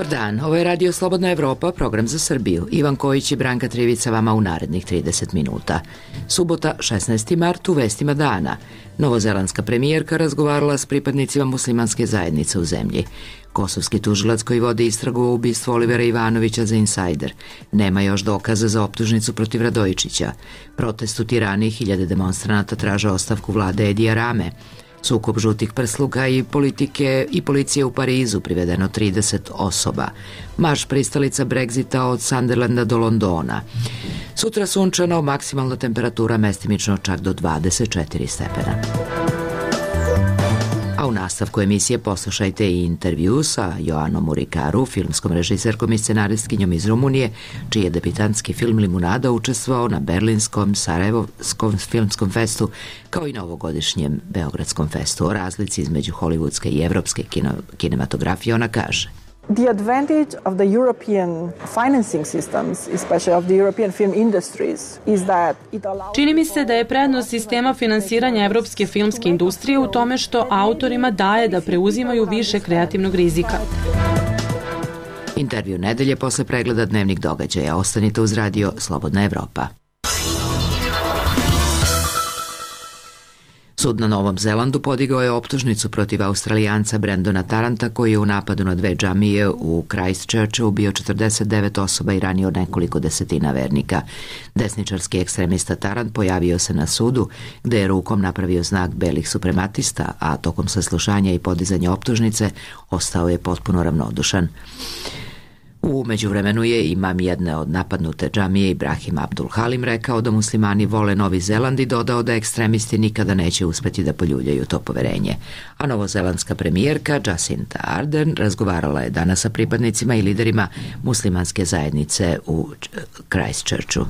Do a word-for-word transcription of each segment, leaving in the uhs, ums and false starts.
Dobar dan, ovo je Radio Slobodna Evropa, program za Srbiju. Ivan Kojić i Branka Trivica vama u narednih trideset minuta. Subota, šesnaesti mart, u vestima dana. Novozelandska premijerka razgovarala s pripadnicima muslimanske zajednice u zemlji. Kosovski tužilac koji vodi istragu o ubistvu Olivera Ivanovića za Insider. Nema još dokaza za optužnicu protiv Radojičića. Protest u Tirani, hiljade demonstranata traže ostavku vlade Edija Rame. Sukob žutih prsluka i politike i policije u Parizu, privedeno trideset osoba. Marš pristalica Brexita od Sunderlanda do Londona. Sutra sunčano, maksimalna temperatura mestimično čak do dvadeset četiri stepena. A u nastavku emisije poslušajte i intervju sa Joanom Murikaru, filmskom režiserkom i scenaristkinjom iz Rumunije, čiji je debitanski film Limunada učestvovao na Berlinskom, Sarajevskom filmskom festu, kao i na ovogodišnjem Beogradskom festu. O razlici između hollywoodske i evropske kino, kinematografije ona kaže: The advantage of the European financing systems, especially of the European film industries, is that it allows... Čini mi se da je prednost sistema finansiranja evropske filmske industrije u tome što autorima daje da preuzimaju više kreativnog rizika. Intervju nedelje posle pregleda dnevnih događaja. Ostanite uz Radio Slobodna Evropa. Sud na Novom Zelandu podigao je optužnicu protiv Australijanca Brendona Taranta, koji je u napadu na dve džamije u Christchurchu ubio četrdeset devet osoba i ranio nekoliko desetina vernika. Desničarski ekstremista Tarant pojavio se na sudu, gde je rukom napravio znak belih suprematista, a tokom saslušanja i podizanja optužnice ostao je potpuno ravnodušan. U međuvremenu je imam jedne od napadnute džamije Ibrahim Abdul Halim rekao da muslimani vole Novi Zeland i dodao da ekstremisti nikada neće uspeti da poljuljaju to poverenje. A novozelandska premijerka Jacinda Ardern razgovarala je danas sa pripadnicima i liderima muslimanske zajednice u Christchurchu.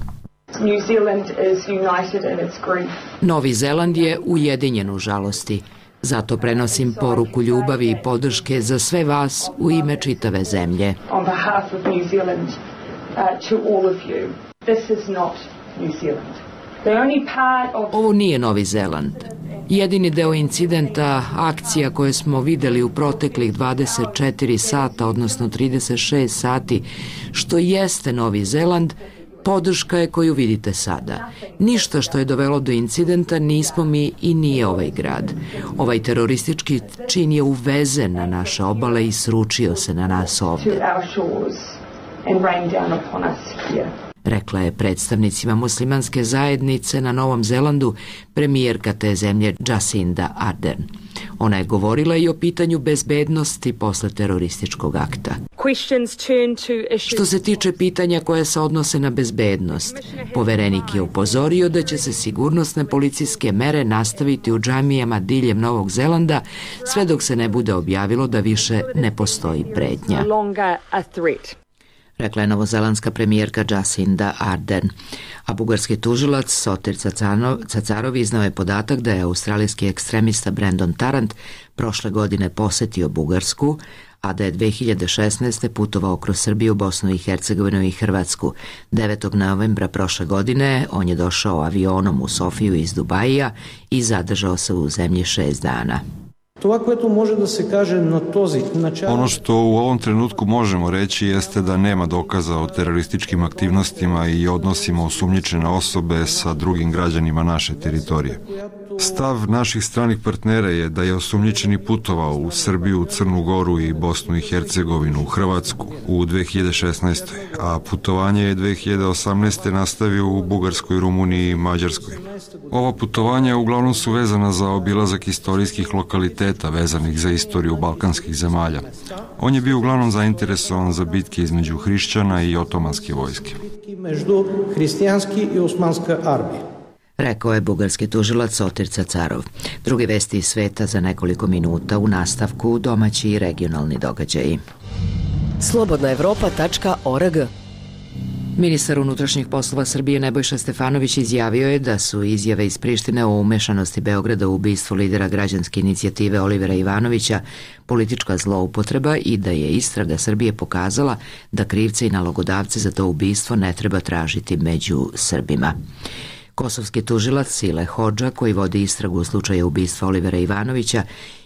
New Zealand is united in its grief. Novi Zeland je ujedinjen u žalosti. Zato prenosim poruku ljubavi i podrške za sve vas u ime čitave zemlje. On behalf of New Zealand, uh, to all of you. This is not New Zealand. The only part of... Ovo nije Novi Zeland. Jedini deo incidenta, akcija koje smo videli u proteklih dvadeset četiri sata, odnosno trideset šest sati, što jeste Novi Zeland, podrška je koju vidite sada. Ništa što je dovelo do incidenta nismo mi i nije ovaj grad. Ovaj teroristički čin je uvezen na naše obale i sručio se na nas ovde, rekla je predstavnicima muslimanske zajednice na Novom Zelandu premijerka te zemlje Jacinda Ardern. Ona je govorila i o pitanju bezbednosti posle terorističkog akta. Što se tiče pitanja koje se odnose na bezbednost, poverenik je upozorio da će se sigurnosne policijske mere nastaviti u džamijama diljem Novog Zelanda sve dok se ne bude objavilo da više ne postoji pretnja, rekla je novozelandska premijerka Jacinda Ardern. A bugarski tužilac Sotir Cacarov iznao je podatak da je australijski ekstremista Brendon Tarant prošle godine posetio Bugarsku, a da je dve hiljade šesnaeste. putovao kroz Srbiju, Bosnu i Hercegovinu i Hrvatsku. devetog novembra prošle godine on je došao avionom u Sofiju iz Dubaija i zadržao se u zemlji šest dana. Ono što u ovom trenutku možemo reći jeste da nema dokaza o terorističkim aktivnostima i odnosima osumnjičene osobe sa drugim građanima naše teritorije. Stav naših stranih partnera je da je osumnjičeni putovao u Srbiju, Crnu Goru i Bosnu i Hercegovinu, u Hrvatsku u dve hiljade šesnaestoj. a putovanje je dve hiljade osamnaeste. nastavio u Bugarskoj, Rumuniji i Mađarskoj. Ova putovanja uglavnom su vezana za obilazak istorijskih lokaliteta vezanih za istoriju balkanskih zemalja. On je bio uglavnom zainteresovan za bitke između hrišćana i otomanske vojske. Među hristijanski i osmanska armija, rekao je bugarski tužilac Sotir Cacarov. Druge vesti iz sveta za nekoliko minuta, u nastavku domaći i regionalni događaji. slobodna evropa tačka org. Ministar unutrašnjih poslova Srbije Nebojša Stefanović izjavio je da su izjave iz Prištine o umešanosti Beograda u ubistvu lidera građanske inicijative Olivera Ivanovića politička zloupotreba i da je istraga Srbije pokazala da krivce i nalogodavce za to ubistvo ne treba tražiti među Srbima. Kosovski tužilac Sile Hodža, koji vodi istragu u slučaju ubistva Olivera Ivanovića,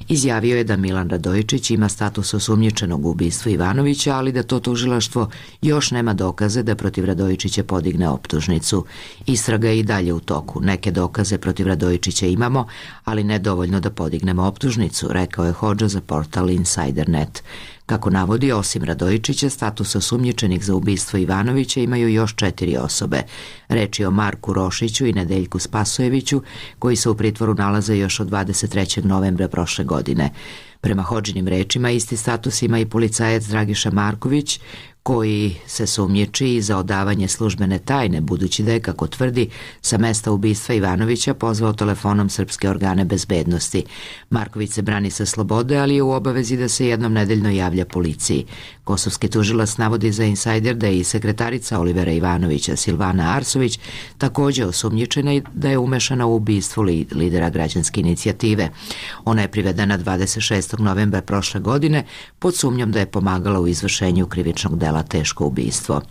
izjavio je da Milan Radojičić ima status osumnjičenog u ubistvu Ivanovića, ali da to tužilaštvo još nema dokaze da protiv Radojičića podigne optužnicu. Istraga je i dalje u toku. Neke dokaze protiv Radojičića imamo, ali ne dovoljno da podignemo optužnicu, rekao je Hodža za portal Insider punkt net. Kako navodi, osim Radojičića, status osumnjičenih za ubistvo Ivanovića imaju još četiri osobe. Reč je o Marku Rošiću i Nedeljku Spasojeviću, koji se u pritvoru nalaze još od dvadeset trećeg novembra prošle godine. Prema Hodžinim rečima, isti status ima i policajac Dragiša Marković, koji se sumnjiči za odavanje službene tajne, budući da je, kako tvrdi, sa mesta ubistva Ivanovića pozvao telefonom srpske organe bezbednosti. Marković se brani sa slobode, ali je u obavezi da se jednom nedeljno javlja policiji. Kosovski tužilac navodi za Insider da je i sekretarica Olivera Ivanovića, Silvana Arsović, također osumnjičena i da je umešana u ubistvo li, lidera građanske inicijative. Ona je privedena dvadeset šestog novembra prošle godine pod sumnjom da je pomagala u izvršenju krivičnog dela teško ubistvo.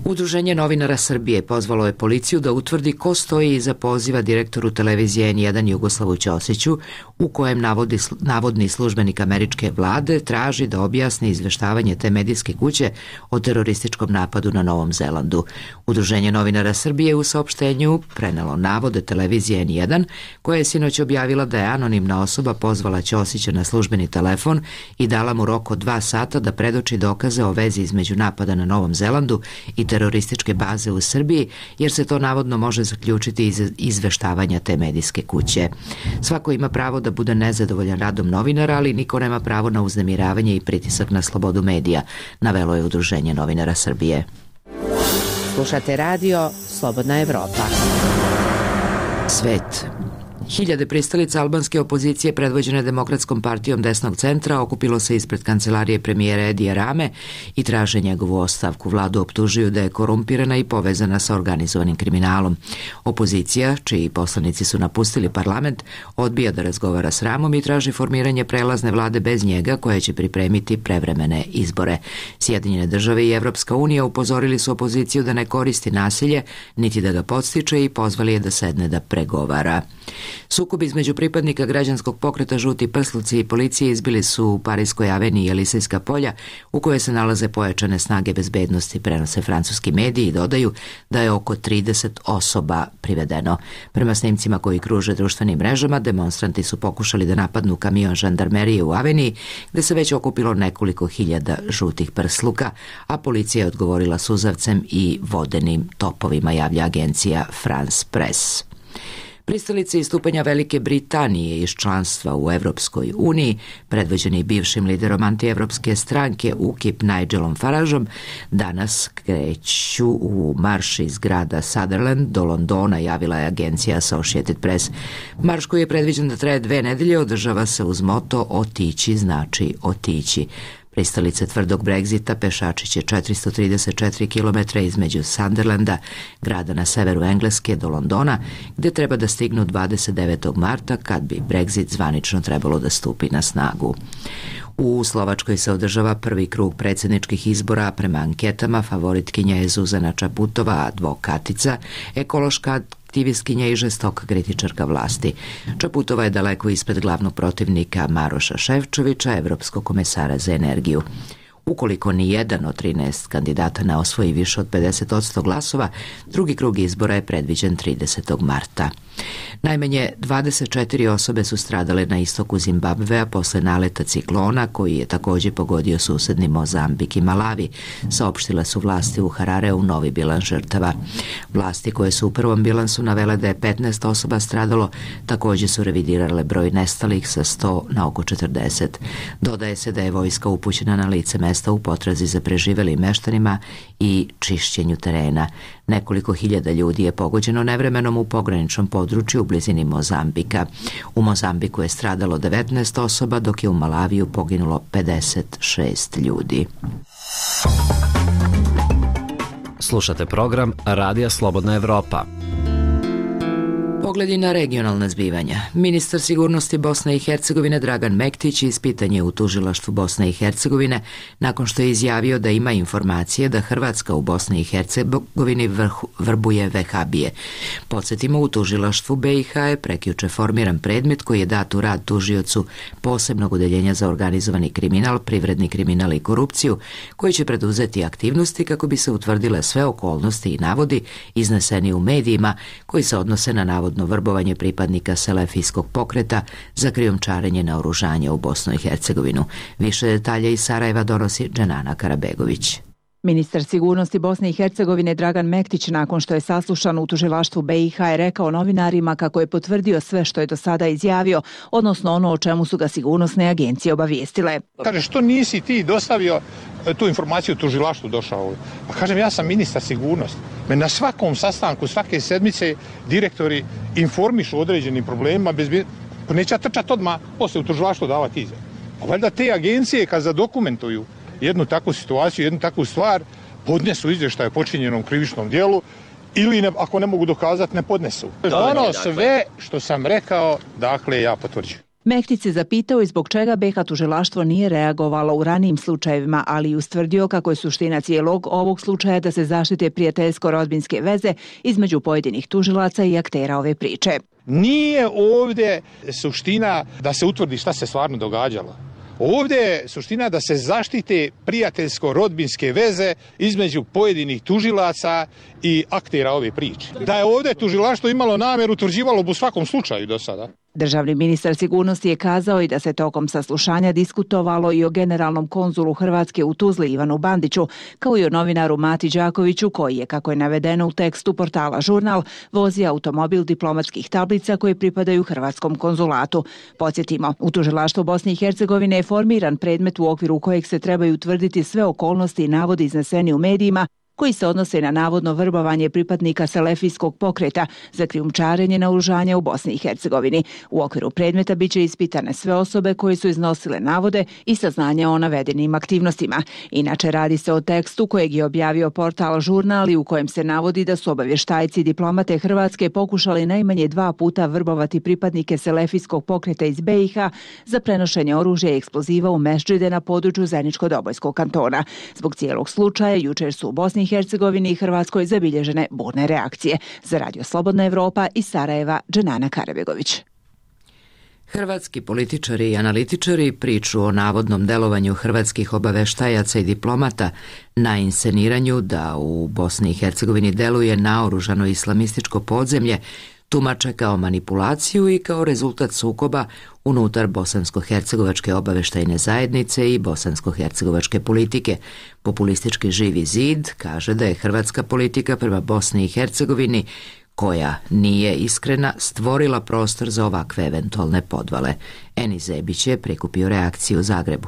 Udruženje novinara Srbije pozvalo je policiju da utvrdi ko stoji iza poziva direktoru televizije en jedan Jugoslavu Ćosiću, u kojem navodi, navodni službenik američke vlade traži da objasni izveštavanje te medijske kuće o terorističkom napadu na Novom Zelandu. Udruženje novinara Srbije u saopštenju prenelo navode televizije en jedan, koja je sinoć objavila da je anonimna osoba pozvala Ćosića na službeni telefon i dala mu rok od dva sata da predoči dokaze o vezi između napada na Novom Zelandu i terorističke baze u Srbiji, jer se to navodno može zaključiti iz izveštavanja te medijske kuće. Svako ima pravo da bude nezadovoljan radom novinara, ali niko nema pravo na uznemiravanje i pritisak na slobodu medija, navelo je Udruženje novinara Srbije. Slušate radio Slobodna Evropa. Svet. Hiljade pristalica albanske opozicije predvođene Demokratskom partijom desnog centra okupilo se ispred kancelarije premijera Edija Rame i traže njegovu ostavku. Vladu optužuju da je korumpirana i povezana sa organizovanim kriminalom. Opozicija, čiji poslanici su napustili parlament, odbija da razgovara s Ramom i traži formiranje prelazne vlade bez njega koja će pripremiti prevremene izbore. Sjedinjene države i Evropska unija upozorili su opoziciju da ne koristi nasilje, niti da ga podstiče i pozvali je da sedne da pregovara. Sukob između pripadnika građanskog pokreta Žuti prsluci i policije izbili su u Parijskoj aveniji i Elisejska polja, u kojoj se nalaze pojačane snage bezbednosti, prenose francuski mediji i dodaju da je oko trideset osoba privedeno. Prema snimcima koji kruže društvenim mrežama, demonstranti su pokušali da napadnu kamion žandarmerije u aveniji, gde se već okupilo nekoliko hiljada žutih prsluka, a policija je odgovorila suzavcem i vodenim topovima, javlja agencija France Press. Pristalice istupanja Velike Britanije iz članstva u Evropskoj uniji, predvođeni bivšim liderom antievropske stranke U K I P Nigelom Farageom, danas kreću u marš iz grada Sunderland do Londona, javila je agencija Associated Press. Marš koji je predviđen da traje dve nedelje održava se uz moto "Otići znači otići". Pristalice tvrdog Brexita pešači će četiristo trideset četiri kilometra između Sunderlanda, grada na severu Engleske, do Londona, gde treba da stignu dvadeset devetog marta, kad bi Brexit zvanično trebalo da stupi na snagu. U Slovačkoj se održava prvi krug predsjedničkih izbora. Prema anketama favoritkinja je Zuzana Čaputova, advokatica, ekološka aktivistkinja i žestoka kritičarka vlasti. Čaputova je daleko ispred glavnog protivnika Maroša Šefčovića, evropskog komesara za energiju. Ukoliko ni jedan od trinaest kandidata ne osvoji više od pedeset posto glasova, drugi krug izbora je predviđen tridesetog marta. Najmanje dvadeset četiri osobe su stradale na istoku Zimbabvea posle naleta ciklona koji je također pogodio susedni Mozambik i Malavi, saopštile su vlasti u Harareu novi bilans žrtava. Vlasti koje su u prvom bilansu navele da je petnaest osoba stradalo, također su revidirale broj nestalih sa sto na oko četrdeset. Dodaje se da je vojska upućena na lice mesta u potrazi za preživelim meštanima i čišćenju terena. Nekoliko hiljada ljudi je pogođeno nevremenom u pograničnom području u blizini Mozambika. U Mozambiku je stradalo devetnaest osoba, dok je u Malaviju poginulo pedeset šest ljudi. Slušate program Radija Slobodna Evropa. Pogledi na regionalne zbivanja. Ministar sigurnosti Bosne i Hercegovine Dragan Mektić ispitan je u tužilaštvu Bosne i Hercegovine nakon što je izjavio da ima informacije da Hrvatska u Bosni i Hercegovini vrhu, vrbuje vehabije. Podsjetimo, u tužilaštvu B i H je prekjuče formiran predmet koji je dat u rad tužiocu posebnog odeljenja za organizovani kriminal, privredni kriminal i korupciju, koji će preduzeti aktivnosti kako bi se utvrdile sve okolnosti i navodi izneseni u medijima koji se odnose na navodno vrbovanje pripadnika selefijskog pokreta za krijumčarenje naoružanja u Bosnu i Hercegovinu. Više detalja iz Sarajeva donosi Dženana Karabegović. Ministar sigurnosti Bosne i Hercegovine Dragan Mektić, nakon što je saslušan u tužilaštvu B i H, je rekao novinarima kako je potvrdio sve što je do sada izjavio, odnosno ono o čemu su ga sigurnosne agencije obavijestile. Kaže, što nisi ti dostavio tu informaciju u tužilaštvu došao? Pa kažem, ja sam ministar sigurnosti. Me na svakom sastanku, svake sedmice, direktori informišu o određenim problemima, bez... pa neće ja trčati odmah poslije u tužilaštvu davati izjavu. A valjda te agencije kad zadokumentuju jednu takvu situaciju, jednu takvu stvar, podnesu izvještaj o počinjenom krivičnom djelu ili ne, ako ne mogu dokazati, ne podnesu. Ono sve što sam rekao, dakle, ja potvrđujem. Mektić se zapitao i zbog čega B i H tužilaštvo nije reagovalo u ranijim slučajevima, ali i ustvrdio kako je suština cijelog ovog slučaja da se zaštite prijateljsko-rodbinske veze između pojedinih tužilaca i aktera ove priče. Nije ovdje suština da se utvrdi šta se stvarno događalo. Ovdje je suština da se zaštite prijateljsko-rodbinske veze između pojedinih tužilaca i aktera ove priče. Da je ovdje tužilaštvo imalo namjeru, utvrđivalo bi u svakom slučaju do sada. Državni ministar sigurnosti je kazao i da se tokom saslušanja diskutovalo i o generalnom konzulu Hrvatske u Tuzli Ivanu Bandiću, kao i o novinaru Mati Đakoviću koji je, kako je navedeno u tekstu portala Žurnal, vozio automobil diplomatskih tablica koje pripadaju Hrvatskom konzulatu. Podsjetimo, u tužilaštvu Bosne i Hercegovine je formiran predmet u okviru kojeg se trebaju utvrditi sve okolnosti i navodi izneseni u medijima koji se odnose na navodno vrbovanje pripadnika selefijskog pokreta za krijumčarenje naoružanja u Bosni i Hercegovini. U okviru predmeta biće ispitane sve osobe koje su iznosile navode i saznanja o navedenim aktivnostima. Inače, radi se o tekstu kojeg je objavio portal Žurnal i u kojem se navodi da su obavještajci i diplomate Hrvatske pokušali najmanje dva puta vrbovati pripadnike selefijskog pokreta iz B i H za prenošenje oružja i eksploziva u mešdžide na području Zeničko-Dobojskog kantona. Zbog cijelog slučaja jučer su u Bosni i Hercegovini i Hrvatskoj zabilježene burne reakcije. Za Radio Slobodna Evropa iz Sarajeva, Dženana Karabegović. Hrvatski političari i analitičari priču o navodnom delovanju hrvatskih obaveštajaca i diplomata na insceniranju da u Bosni i Hercegovini deluje naoružano islamističko podzemlje tumače kao manipulaciju i kao rezultat sukoba unutar bosansko-hercegovačke obaveštajne zajednice i bosansko-hercegovačke politike. Populistički Živi zid kaže da je hrvatska politika prema Bosni i Hercegovini, koja nije iskrena, stvorila prostor za ovakve eventualne podvale. Eni Zebić je prikupio reakciju u Zagrebu.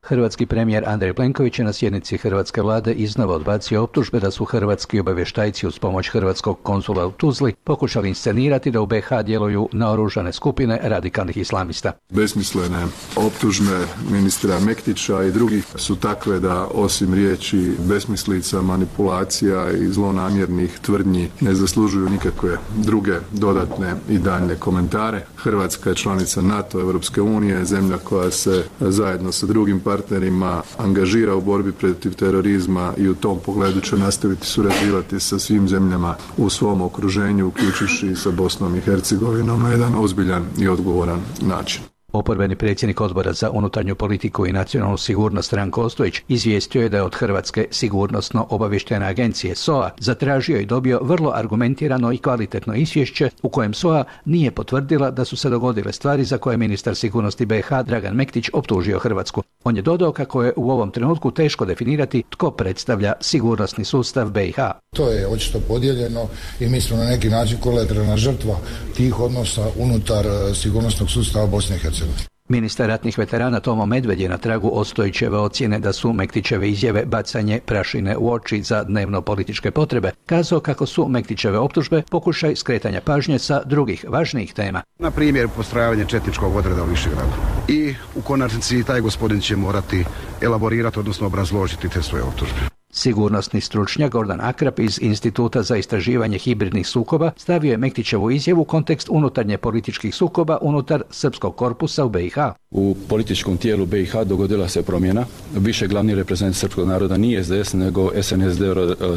Hrvatski premijer Andrej Plenković je na sjednici hrvatske vlade iznova odbacio optužbe da su hrvatski obavještajci uz pomoć hrvatskog konzula u Tuzli pokušali inscenirati da u B H djeluju naoružane skupine radikalnih islamista. Besmislene optužbe ministra Mektića i drugih su takve da osim riječi besmislica, manipulacija i zlonamjernih tvrdnji ne zaslužuju nikakve druge dodatne i daljne komentare. Hrvatska je članica NATO, Europske unije, zemlja koja se zajedno sa drugim partnerima angažira u borbi protiv terorizma i u tom pogledu će nastaviti surađivati sa svim zemljama u svom okruženju, uključujući i sa Bosnom i Hercegovinom na jedan ozbiljan i odgovoran način. Oporbeni predsjednik Odbora za unutarnju politiku i nacionalnu sigurnost Ranko Ostojić izvijestio je da je od Hrvatske sigurnosno-obavještajne agencije S O A zatražio i dobio vrlo argumentirano i kvalitetno izvješće u kojem S O A nije potvrdila da su se dogodile stvari za koje ministar sigurnosti B H Dragan Mektić optužio Hrvatsku. On je dodao kako je u ovom trenutku teško definirati tko predstavlja sigurnosni sustav B i H. To je očito podijeljeno i mi smo na neki način kolateralna žrtva tih odnosa unutar sigurnosnog sustava Bosne i Hercegovine. Ministar ratnih veterana Tomo Medved je na tragu Ostojićeve ocjene da su Mektićeve izjave bacanje prašine u oči za dnevno političke potrebe kazao kako su Mektićeve optužbe pokušaj skretanja pažnje sa drugih važnijih tema. Na primjer, postrojavanje četničkog odreda u Višegradu. I u konačnici taj gospodin će morati elaborirati, odnosno obrazložiti te svoje optužbe. Sigurnosni stručnjak Gordan Akrap iz Instituta za istraživanje hibridnih sukoba stavio je Mektićevu izjavu u kontekst unutarnje političkih sukoba unutar srpskog korpusa u B i H. U političkom tijelu B i H dogodila se promjena. Više glavni reprezent srpskog naroda nije S D S nego S N S D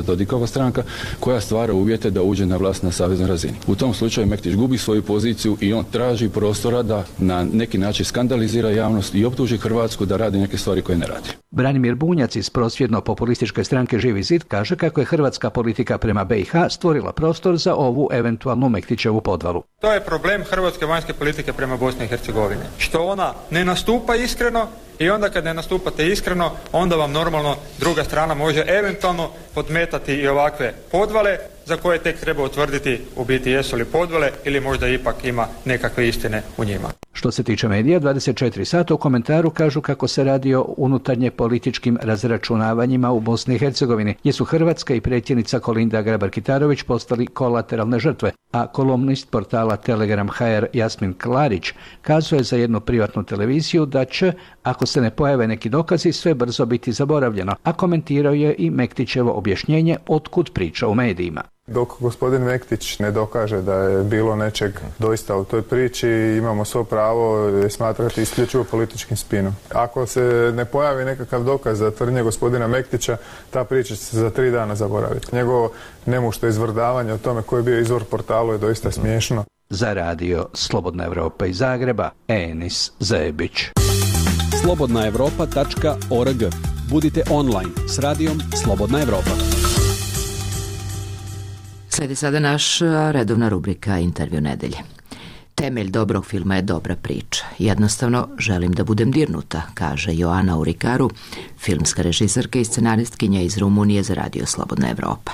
Dodikova stranka koja stvara uvjete da uđe na vlast na saveznoj razini. U tom slučaju Mektić gubi svoju poziciju i on traži prostora da na neki način skandalizira javnost i optuži Hrvatsku da radi neke stvari koje ne radi. Branimir Bunjac iz prosvjedno-populističke stranke Živi zid kaže kako je hrvatska politika prema B i H stvorila prostor za ovu eventualnu Mektićevu podvalu. To je problem hrvatske vanjske politike prema Bosni i Hercegovini. Što ona ne nastupa iskreno i onda kad ne nastupate iskreno, onda vam normalno druga strana može eventualno podmetati i ovakve podvale za koje tek treba utvrditi u biti jesu li podvale ili možda ipak ima nekakve istine u njima. Što se tiče medija, dvadeset četiri sata u komentaru kažu kako se radi o unutarnje političkim razračunavanjima u Bosni i Hercegovini, gdje su Hrvatska i predsjednica Kolinda Grabar-Kitarović postali kolateralne žrtve, a kolumnist portala Telegram H R Jasmin Klarić kazuje za jednu privatnu televiziju da će, ako se ne pojave neki dokazi, sve brzo biti zaboravljeno, a komentirao je i Mektićevo objašnjenje otkud priča u medijima. Dok gospodin Mektić ne dokaže da je bilo nečeg doista u toj priči, imamo svo pravo smatrati isključivo političkim spinom. Ako se ne pojavi nekakav dokaz za tvrdnje gospodina Mektića, ta priča će se za tri dana zaboraviti. Njegovo nemušto izvrdavanje o tome koji je bio izvor portalu je doista smiješno. Za radio Slobodna Evropa iz Zagreba, Enis Zebić. slobodna evropa tačka org. Budite online s radijom Slobodna Evropa. Sledi sada naša redovna rubrika Intervju nedelje. Temelj dobrog filma je dobra priča. Jednostavno, želim da budem dirnuta, kaže Joana Urikaru, filmska režiserka i scenaristkinja iz Rumunije za radio Slobodna Evropa.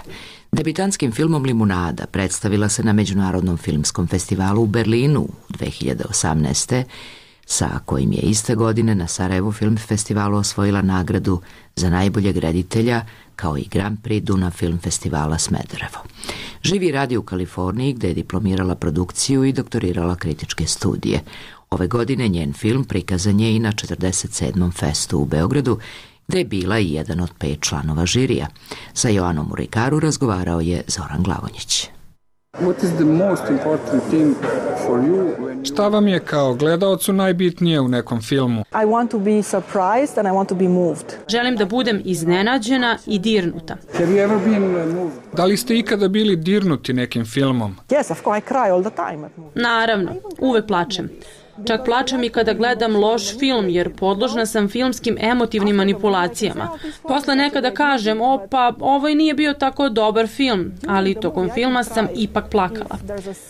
Debitanskim filmom Limunada predstavila se na Međunarodnom filmskom festivalu u Berlinu dve hiljade osamnaeste. sa kojim je iste godine na Sarajevo Film Festivalu osvojila nagradu za najboljeg reditelja, kao i Grand Prix Dunav Film Festivala Smederevo. Živi i radi u Kaliforniji, gde je diplomirala produkciju i doktorirala kritičke studije. Ove godine njen film prikazan je i na četrdeset sedmom festu u Beogradu, gde je bila i jedan od pet članova žirija. Sa Joanom Urikaru razgovarao je Zoran Glavonjić. What is the most important thing for you? Šta vam je kao gledaocu najbitnije u nekom filmu? I want to be surprised and I want to be moved. Želim da budem iznenađena i dirnuta. Have you ever been moved? Da li ste ikada bili dirnuti nekim filmom? Yes, of course, I cry all the time. Naravno, uvek plačem. Čak plačem i kada gledam loš film, jer podložna sam filmskim emotivnim manipulacijama. Posle nekada kažem, o pa, ovo i nije bio tako dobar film, ali tokom filma sam ipak plakala.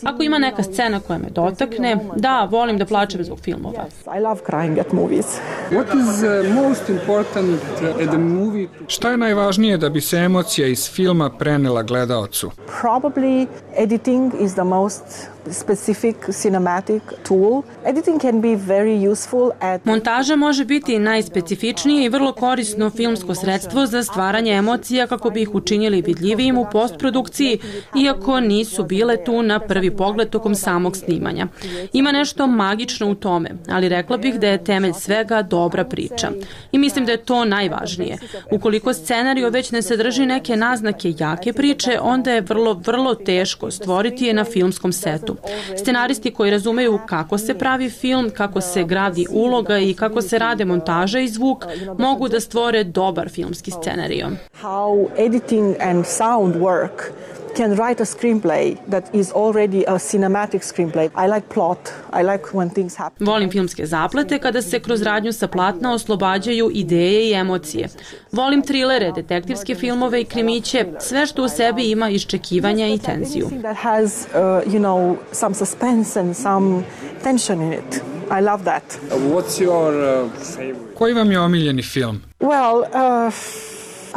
Ako ima neka scena koja me dotakne, da, volim da plačem zbog filmova. I love crying at movies. What is most important at the movie? Šta je najvažnije da bi se emocija iz filma prenela gledaocu? Probably editing is the most specific cinematic tool. Editing can be very useful at... Montaža može biti najspecifičnije i vrlo korisno filmsko sredstvo za stvaranje emocija kako bi ih učinili vidljivijim u postprodukciji, iako nisu bile tu na prvi pogled tokom samog snimanja. Ima nešto magično u tome, ali rekla bih da je temelj svega dobra priča. I mislim da je to najvažnije. Ukoliko scenario već ne sadrži neke naznake jake priče, onda je vrlo, vrlo teško stvoriti je na filmskom setu. Scenaristi koji razumeju kako se pravi film, kako se gradi uloga i kako se rade montaža i zvuk, mogu da stvore dobar filmski scenario. How editing and sound work can write a screenplay that is already a cinematic screenplay. I like plot. I like when things happen. Volim filmske zaplete kada se kroz radnju sa platna oslobađaju ideje i emocije. Volim trilere, detektivske filmove i krimiće, sve što u sebi ima iščekivanja i tenziju. That has, uh, you know, some suspense and some tension in it. I love that. What's your uh, favorite? Koji vam je omiljeni film? Well, uh,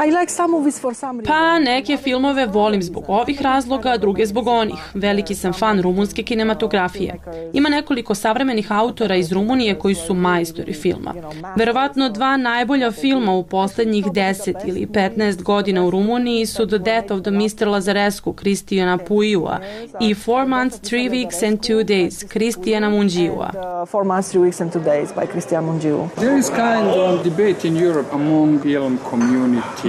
I like some movies for some reason. Pa neke filmove volim zbog ovih razloga, druge zbog onih. Veliki sam fan rumunske kinematografije. Ima nekoliko savremenih autora iz Rumunije koji su majstori filma. Verovatno dva najbolja filma u poslednjih deset ili petnaest godina u Rumuniji su The Death of the mister Lazarescu Cristijana Puiua i Four Months, Three Weeks and Two Days Cristijana Mungiua. Four Months, Three Weeks and Two Days by Cristian Mungiu. There is kind of debate in Europe among film community.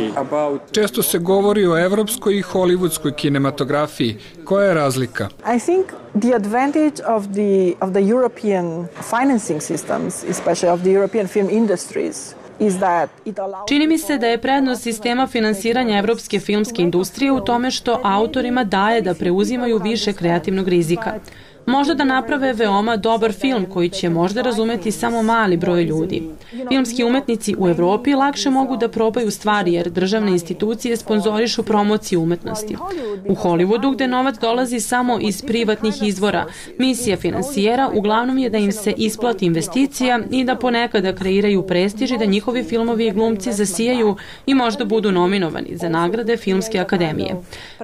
Često se govori o evropskoj i hollywoodskoj kinematografiji. Koja je razlika? I think the advantage of the of the European financing systems, especially of the European film industries, čini mi se da je prednost sistema finansiranja evropske filmske industrije u tome što autorima daje da preuzimaju više kreativnog rizika. Možda da naprave veoma dobar film koji će možda razumeti samo mali broj ljudi. Filmski umetnici u Evropi lakše mogu da probaju stvari jer državne institucije sponzorišu promociju umetnosti. U Hollywoodu, gde novac dolazi samo iz privatnih izvora, misija finansijera uglavnom je da im se isplati investicija i da ponekada kreiraju prestiž i da njihovi filmovi i glumci zasijaju i možda budu nominovani za nagrade Filmske akademije.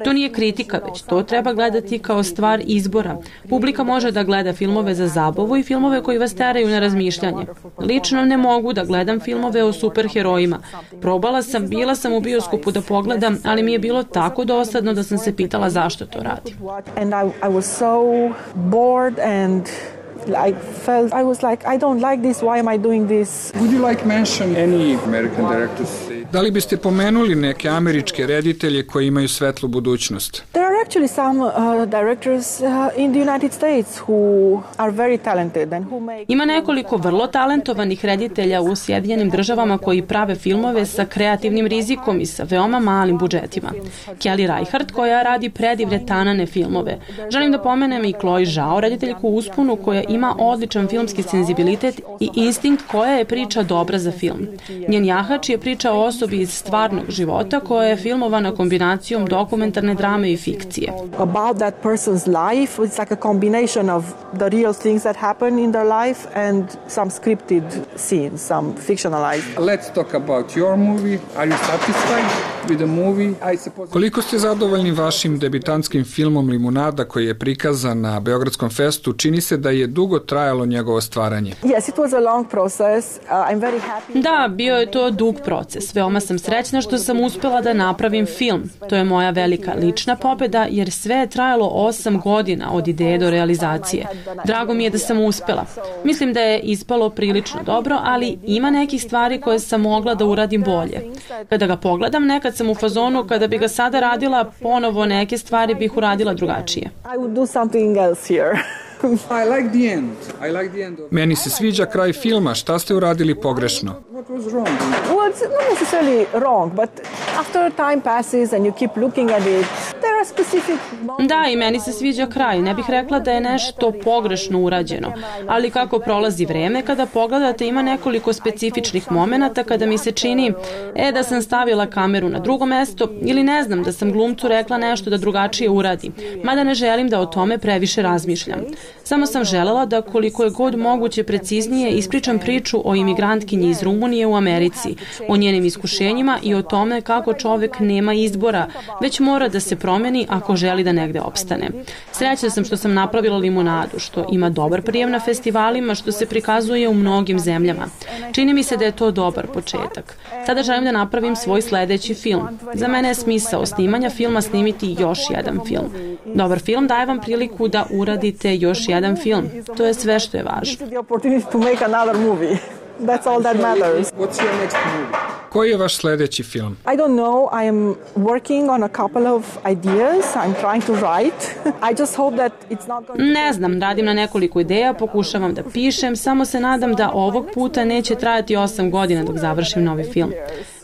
To nije kritika, već to treba gledati kao stvar izbora. Publika može da gleda filmove za zabavu i filmove koji vas teraju na razmišljanje. Lično ne mogu da gledam filmove o superherojima. Probala sam, bila sam u bioskopu da pogledam, ali mi je bilo tako dosadno da sam se pitala zašto to radim. And I, I was so bored and I felt I was like I don't like this, why am I doing this? Would you like mention any American directors? Da li biste pomenuli neke američke reditelje koji imaju svetlu budućnost? There are actually some uh, directors uh, in the United States who are very talented and who make... Ima nekoliko vrlo talentovanih reditelja u Sjedinjenim državama koji prave filmove sa kreativnim rizikom i sa veoma malim budžetima. Kelly Reichardt koja radi predivne tanane filmove. Želim da pomenem i Chloe Zhao, rediteljku u usponu koja ima odličan filmski senzibilitet i instinkt koja je priča dobra za film. Njen jahač je priča o osobi iz stvarnog života koja je filmovana kombinacijom dokumentarne drame i fikcije. About that person's life, it's like a combination of the real things that happen in their life and some scripted scenes, some fictionalized. Let's talk about your movie. Are you satisfied with the movie? I suppose... Koliko ste zadovoljni vašim debitantskim filmom Limunada koji je prikazan na Beogradskom festu? Čini se da je dugo trajalo njegovo stvaranje. Yes, it was a long process. Uh, I'm very happy. Da, bio je to dug proces. Veoma sam srećna što sam uspela da napravim film. To je moja velika lična pobeda jer sve je trajalo osam godina od ideje do realizacije. Drago mi je da sam uspela. Mislim da je ispalo prilično dobro, ali ima nekih stvari koje sam mogla da uradim bolje. Kada ga pogledam, nekad sam u fazonu kada bi ga sada radila, ponovo neke stvari bih uradila drugačije. I would do something else here. I like the end. I like the end of... Meni se sviđa kraj filma. Šta ste uradili pogrešno? What was wrong? Well, it's not necessarily wrong, but after time passes and you keep looking at it, there are specific... Da, i meni se sviđa kraj. Ne bih rekla da je nešto pogrešno urađeno, ali kako prolazi vreme, kada pogledate ima nekoliko specifičnih momenata kada mi se čini e, da sam stavila kameru na drugo mesto ili ne znam, da sam glumcu rekla nešto da drugačije uradi, mada ne želim da o tome previše razmišljam. Samo sam želela da koliko je god moguće preciznije ispričam priču o imigrantkinji iz Rumunije u Americi, o njenim iskušenjima i o tome kako čovek nema izbora, već mora da se promeni ako želi da negde opstane. Srećna sam što sam napravila Limunadu, što ima dobar prijem na festivalima, što se prikazuje u mnogim zemljama. Čini mi se da je to dobar početak. Sada želim da napravim svoj sledeći film. Za mene je smisao snimanja filma snimiti još jedan film. Dobar film daje vam priliku da uradite još jedan film. To je sve što je važno. That's all that matters. What's your next movie? Koji je vaš sledeći film? I don't know. I am working on a couple of ideas. I'm trying to write. I just hope that it's not going to... Ne znam, radim na nekoliko ideja, pokušavam da pišem, samo se nadam da ovog puta neće trajati osam godina dok završim novi film.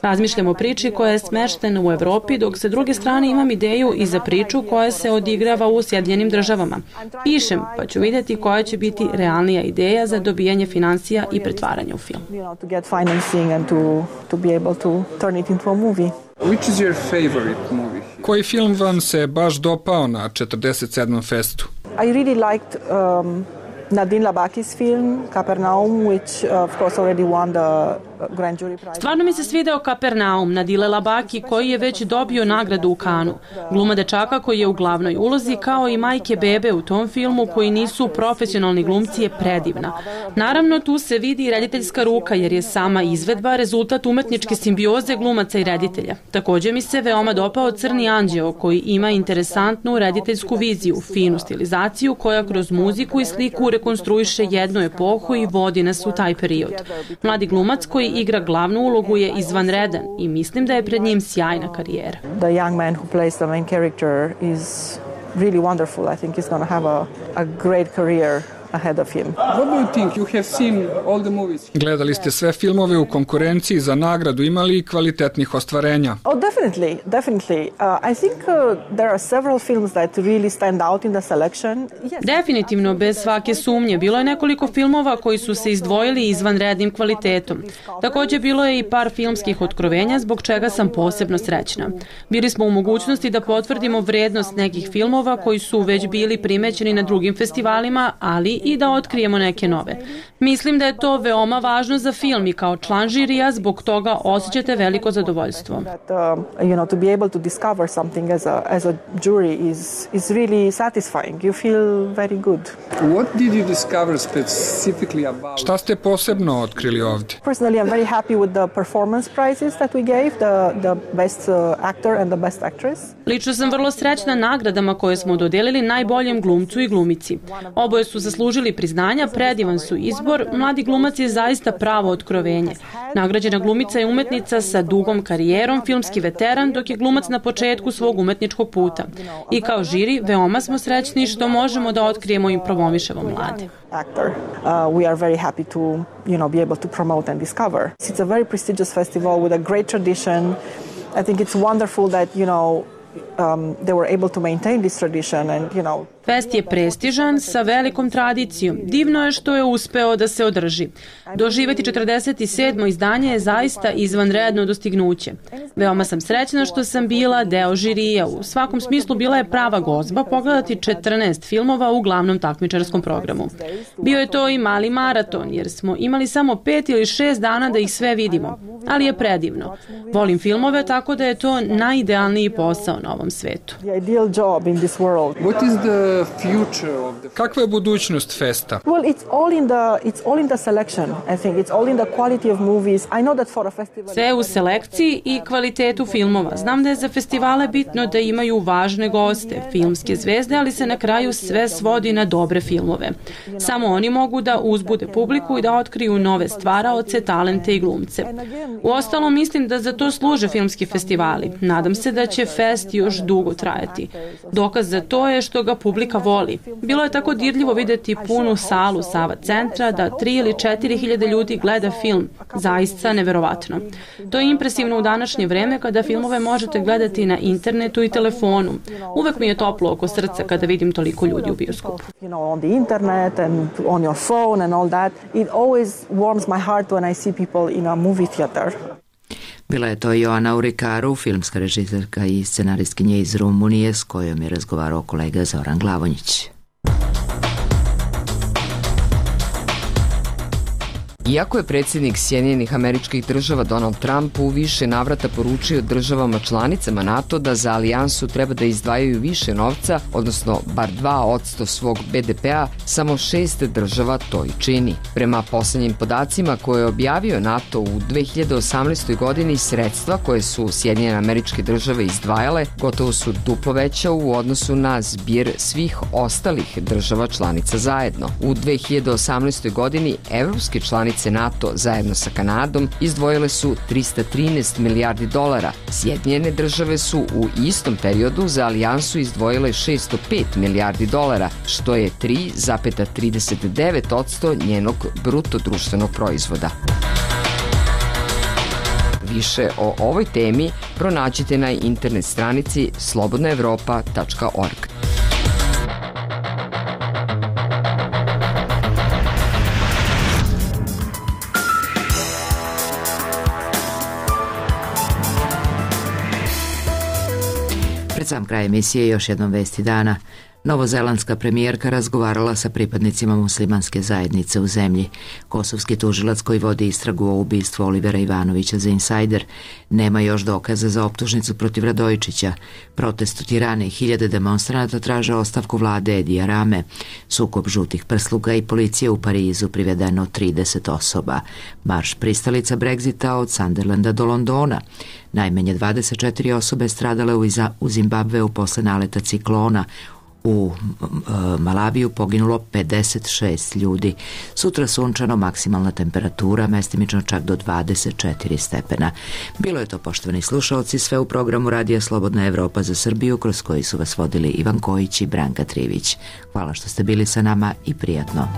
Razmišljam o priči koja je smeštena u Evropi, dok sa druge strane imam ideju i za priču koja se odigrava u Sjedinjenim državama. Pišem, pa ću vidjeti koja će biti realnija ideja za dobijanje finansija i pretvaranje u film. To get financing and to to be able to turn it into a movie. Which is your favorite movie? Koji film vam se baš dopao na četrdeset sedmom festu? I really liked um, Nadine Labaki's film Capernaum, which uh, of course already won the Grand Jury Prize. Stvarno mi se svideo Capernaum Nadile Labaki koji je već dobio nagradu u Kanu. Gluma dečaka koji je u glavnoj ulozi kao i majke bebe u tom filmu koji nisu profesionalni glumci je predivna. Naravno tu se vidi i rediteljska ruka jer je sama izvedba rezultat umetničke simbioze glumaca i reditelja. Takođe mi se veoma dopao Crni anđeo koji ima interesantnu rediteljsku viziju, finu stilizaciju koja kroz muziku i sliku rekonstruiše jednu epohu i vodi nas u taj period. Mladi glumac koji igra glavnu ulogu je izvanredan i mislim da je pred njim sjajna karijera. The young man who plays the main character is really wonderful. I think he's going to have a, a great career ahead of him. What do you think? You have seen all the movies. Gledali ste sve filmove u konkurenciji za nagradu, imali i kvalitetnih ostvarenja? Oh, definitely, definitely. Uh, I think uh, there are several films that really stand out in the selection. Yes. Definitivno, bez svake sumnje. Bilo je nekoliko filmova koji su se izdvojili izvanrednim kvalitetom. Također bilo je i par filmskih otkrovenja zbog čega sam posebno srećna. Bili smo u mogućnosti da potvrdimo vrednost nekih filmova koji su već bili primećeni na drugim festivalima, ali i da otkrijemo neke nove. Mislim da je to veoma važno za film i kao član žirija zbog toga osjećate veliko zadovoljstvo. You know, to be able to discover something as a as a jury is is really satisfying. You feel very good. What did you discover specifically about? Šta ste posebno otkrili ovdje? Personally, I'm very happy with the performance prizes that we gave, the the best uh, actor and the best actress. Lično sam vrlo srećna nagradama koje smo dodelili najboljem glumcu i glumici. Oboje su zaslužili priznanja, predivan su izbor, mladi glumac je zaista pravo otkrovenje. Nagrađena glumica je umetnica sa dugom karijerom, filmski veteran, dok je glumac na početku svog umetničkog puta. I kao žiri, veoma smo srećni što možemo da otkrijemo i promovišemo mlade. Actor. Uh, we are very happy to, you know, be able to promote and discover. It's a very prestigious festival with a great tradition. I think it's wonderful that, you know, um, they were able to maintain this tradition and, you know, Fest je prestižan sa velikom tradicijom. Divno je što je uspeo da se održi. Doživjeti četrdeset sedmo izdanje je zaista izvanredno dostignuće. Veoma sam srećna što sam bila deo žirija. U svakom smislu bila je prava gozba pogledati četrnaest filmova u glavnom takmičarskom programu. Bio je to i mali maraton jer smo imali samo pet ili šest dana da ih sve vidimo. Ali je predivno. Volim filmove tako da je to najidealniji posao na ovom svetu. Kakva je budućnost festa? Well, it's all in the it's all in the selection. I think it's all in the quality of movies. I know that for a festival. Sve u selekciji i kvalitetu filmova. Znam da je za festivale bitno da imaju važne goste, filmske zvezde, ali se na kraju sve svodi na dobre filmove. Samo oni mogu da uzbude publiku i da otkriju nove stvaraoce, talente i glumce. Uostalom, mislim da za to služe filmski festivali. Nadam se da će fest još dugo trajati. Dokaz za to je što ga publika voli. Bilo je tako dirljivo vidjeti punu salu Sava centra da tri ili četiri hiljade ljudi gleda film. Zaista neverovatno. To je impresivno u današnje vreme kada filmove možete gledati na internetu i telefonu. Uvek mi je toplo oko srca kada vidim toliko ljudi u bioskopu. You know, on the internet and on your phone and all that. It always warms my heart when I see people in a movie theater. Bila je to Joana Urikaru, filmska režiserka i scenaristkinja iz Rumunije s kojom je razgovarao kolega Zoran Glavonjić. Iako je predsjednik Sjedinjenih Američkih Država Donald Trump u više navrata poručio državama članicama NATO da za alijansu treba da izdvajaju više novca, odnosno bar dva posto svog be de pea, samo šest država to i čini. Prema posljednjim podacima koje je objavio NATO u dve hiljade osamnaestoj. godini, sredstva koje su Sjedinjene Američke Države izdvajale gotovo su duplo veća u odnosu na zbir svih ostalih država članica zajedno. U dve hiljade osamnaestoj. godini evropske članice NATO zajedno sa Kanadom izdvojile su trista trinaest milijardi dolara. Sjedinjene države su u istom periodu za alijansu izdvojile šesto pet milijardi dolara, što je tri zarez trideset devet posto njenog bruto društvenog proizvoda. Više o ovoj temi pronađite na internet stranici slobodna evropa tačka org. Pred sam kraj emisije još jednom vesti dana. Novozelandska premijerka razgovarala sa pripadnicima muslimanske zajednice u zemlji. Kosovski tužilac koji vodi istragu o ubistvu Olivera Ivanovića za Insider nema još dokaza za optužnicu protiv Radojičića. Protest u Tirani, hiljade demonstranata traže ostavku vlade Edija Rame. Sukob žutih prsluga i policije u Parizu, privedeno trideset osoba. Marš pristalica Brexita od Sunderlanda do Londona. Najmanje dvadeset četiri osobe stradale u Zimbabveu posle naleta ciklona. U Malaviju poginulo pedeset šest ljudi. Sutra sunčano, maksimalna temperatura mestimično čak do dvadeset četiri stepena. Bilo je to, poštovani slušalci, sve u programu Radija Slobodna Evropa za Srbiju, kroz koji su vas vodili Ivan Kojić i Branka Trivić. Hvala što ste bili sa nama i prijatno.